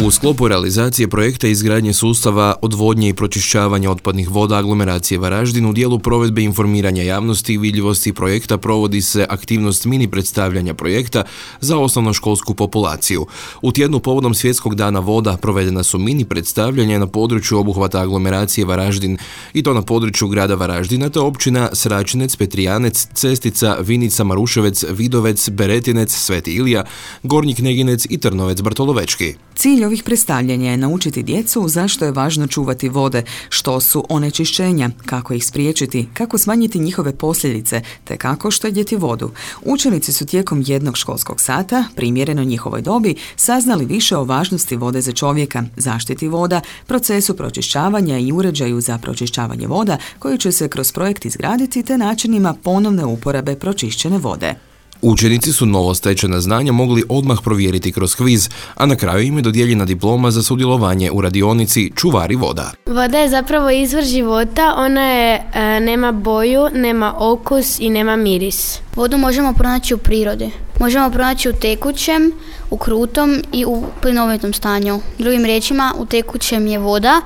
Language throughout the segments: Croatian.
U sklopu realizacije projekta izgradnje sustava odvodnje i pročišćavanja otpadnih voda aglomeracije Varaždin u dijelu provedbe informiranja javnosti i vidljivosti projekta provodi se aktivnost mini predstavljanja projekta za osnovnoškolsku populaciju. U tjednu povodom Svjetskog dana voda provedena su mini predstavljanja na području obuhvata aglomeracije Varaždin i to na području grada Varaždina te općina Sračinec, Petrijanec, Cestica, Vinica, Maruševec, Vidovec, Beretinec, Sveti Ilija, Gornji Kneginec i Trnovec Bartolovečki. Cilj ovih predstavljanja je naučiti djecu zašto je važno čuvati vode, što su onečišćenja, kako ih spriječiti, kako smanjiti njihove posljedice, te kako štedjeti vodu. Učenici su tijekom jednog školskog sata, primjereno njihovoj dobi, saznali više o važnosti vode za čovjeka, zaštiti voda, procesu pročišćavanja i uređaju za pročišćavanje voda koji će se kroz projekt izgraditi te načinima ponovne uporabe pročišćene vode. Učenici su novostečena znanja mogli odmah provjeriti kroz kviz, a na kraju im je dodijeljena diploma za sudjelovanje u radionici Čuvari voda. Voda je zapravo izvor života, ona nema boju, nema okus i nema miris. Vodu možemo pronaći u prirodi. Možemo pronaći u tekućem, u krutom i u plinovitom stanju. Drugim riječima, u tekućem je voda,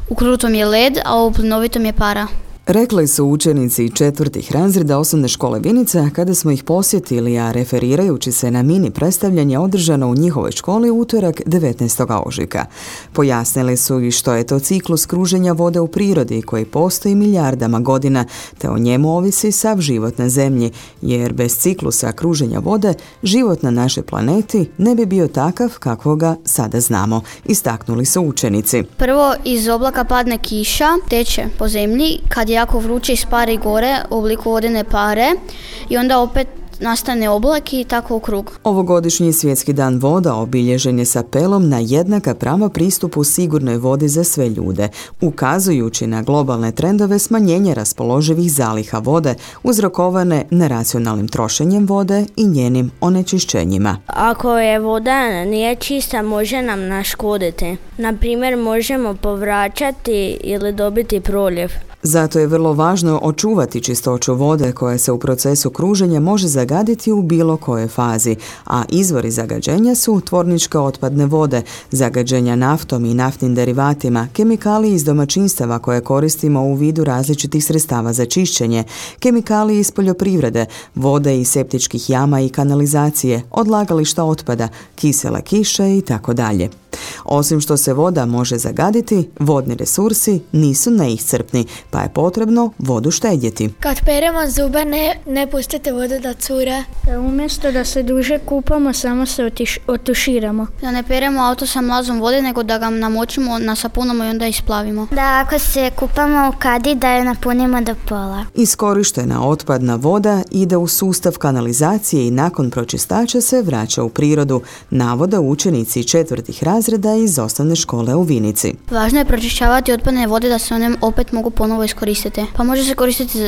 u krutom je led, a u plinovitom je para. Rekli su učenici 4. razreda osnovne škole Vinica kada smo ih posjetili, a referirajući se na mini predstavljanje održano u njihovoj školi utorak 19. ožujka. Pojasnili su i što je to ciklus kruženja vode u prirodi koji postoji milijardama godina, te o njemu ovisi sav život na zemlji, jer bez ciklusa kruženja vode život na našoj planeti ne bi bio takav kakvoga sada znamo, istaknuli su učenici. Prvo iz oblaka padne kiša, teče po zemlji, kad je jako vruće ispari gore u obliku vodene pare i onda opet nastane oblak i tako u krug. Ovogodišnji Svjetski dan voda obilježen je s apelom na jednaka prava pristupu sigurnoj vodi za sve ljude, ukazujući na globalne trendove smanjenja raspoloživih zaliha vode uzrokovane neracionalnim trošenjem vode i njenim onečišćenjima. Ako je voda nije čista, može nam naškoditi. Na primjer, možemo povraćati ili dobiti proljev. Zato je vrlo važno očuvati čistoću vode koja se u procesu kruženja može zagaditi u bilo kojoj fazi, a izvori zagađenja su tvorničke otpadne vode, zagađenja naftom i naftnim derivatima, kemikalije iz domaćinstava koje koristimo u vidu različitih sredstava za čišćenje, kemikalije iz poljoprivrede, vode iz septičkih jama i kanalizacije, odlagališta otpada, kisele kiše i tako dalje. Osim što se voda može zagaditi, vodni resursi nisu neiscrpni, pa je potrebno vodu štedjeti. Kad peremo zube, ne pustite vodu da cure. Umjesto da se duže kupamo, samo se otuširamo. Da ne peremo auto sa mlazom vode, nego da ga namočimo na sapunama i onda isplavimo. Da ako se kupamo u kadi, da je napunimo do pola. Iskorištena otpadna voda ide u sustav kanalizacije i nakon pročistača se vraća u prirodu, navode učenici 4. razreda iz osnovne škole u Vinici. Važno je pročišćavati otpadne vode da se one opet mogu ponovo iskoristiti. Pa može se koristiti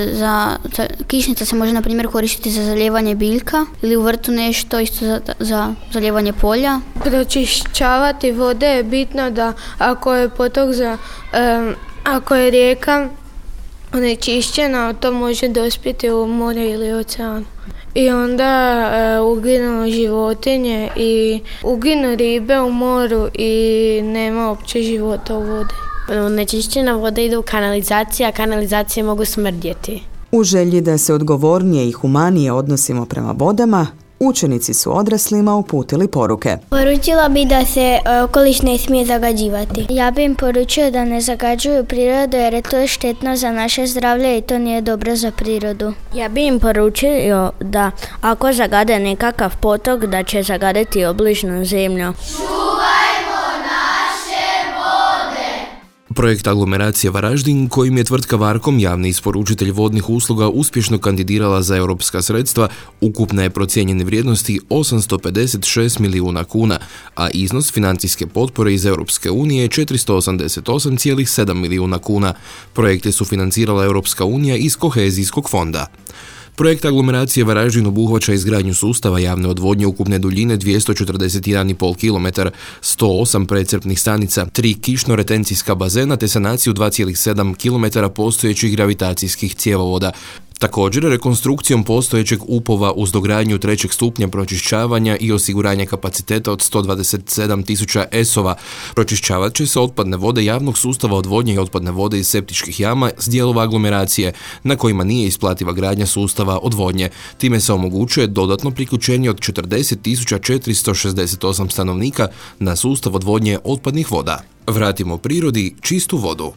kišnica se može na primjer koristiti za zalijevanje biljka ili u vrtu nešto isto za zalijevanje polja. Pročišćavati vode je bitno da ako je potok ako je rijeka onečišćena, to može dospjeti u more ili ocean. I onda uginu životinje i uginu ribe u moru i nema uopće života u vodi. Onečišćena voda ide u kanalizaciju, a kanalizacije mogu smrdjeti. U želji da se odgovornije i humanije odnosimo prema vodama, učenici su odraslima uputili poruke. Poručila bi da se okoliš ne smije zagađivati. Ja bi im poručio da ne zagađuju prirodu jer je to štetno za naše zdravlje i to nije dobro za prirodu. Ja bi im poručio da ako zagade nekakav potok, da će zagaditi obližnu zemlju. Projekt aglomeracije Varaždin, kojim je tvrtka Varkom, javni isporučitelj vodnih usluga, uspješno kandidirala za europska sredstva, ukupne je procijenjene vrijednosti 856 milijuna kuna, a iznos financijske potpore iz Europske unije je 488,7 milijuna kuna. Projekte su financirala Europska unija iz kohezijskog fonda. Projekt aglomeracije Varaždin obuhvaća izgradnju sustava javne odvodnje ukupne duljine 241,5 km, 108 precrpnih stanica, 3 kišno-retencijska bazena te sanaciju 2,7 km postojećih gravitacijskih cjevovoda. Također, rekonstrukcijom postojećeg upova uz dogradnju 3. stupnja pročišćavanja i osiguranje kapaciteta od 127.000 esova pročišćavat će se otpadne vode javnog sustava odvodnje i otpadne vode iz septičkih jama s dijelova aglomeracije na kojima nije isplativa gradnja sustava odvodnje. Time se omogućuje dodatno priključenje od 40.468 stanovnika na sustav odvodnje otpadnih voda. Vratimo prirodi čistu vodu.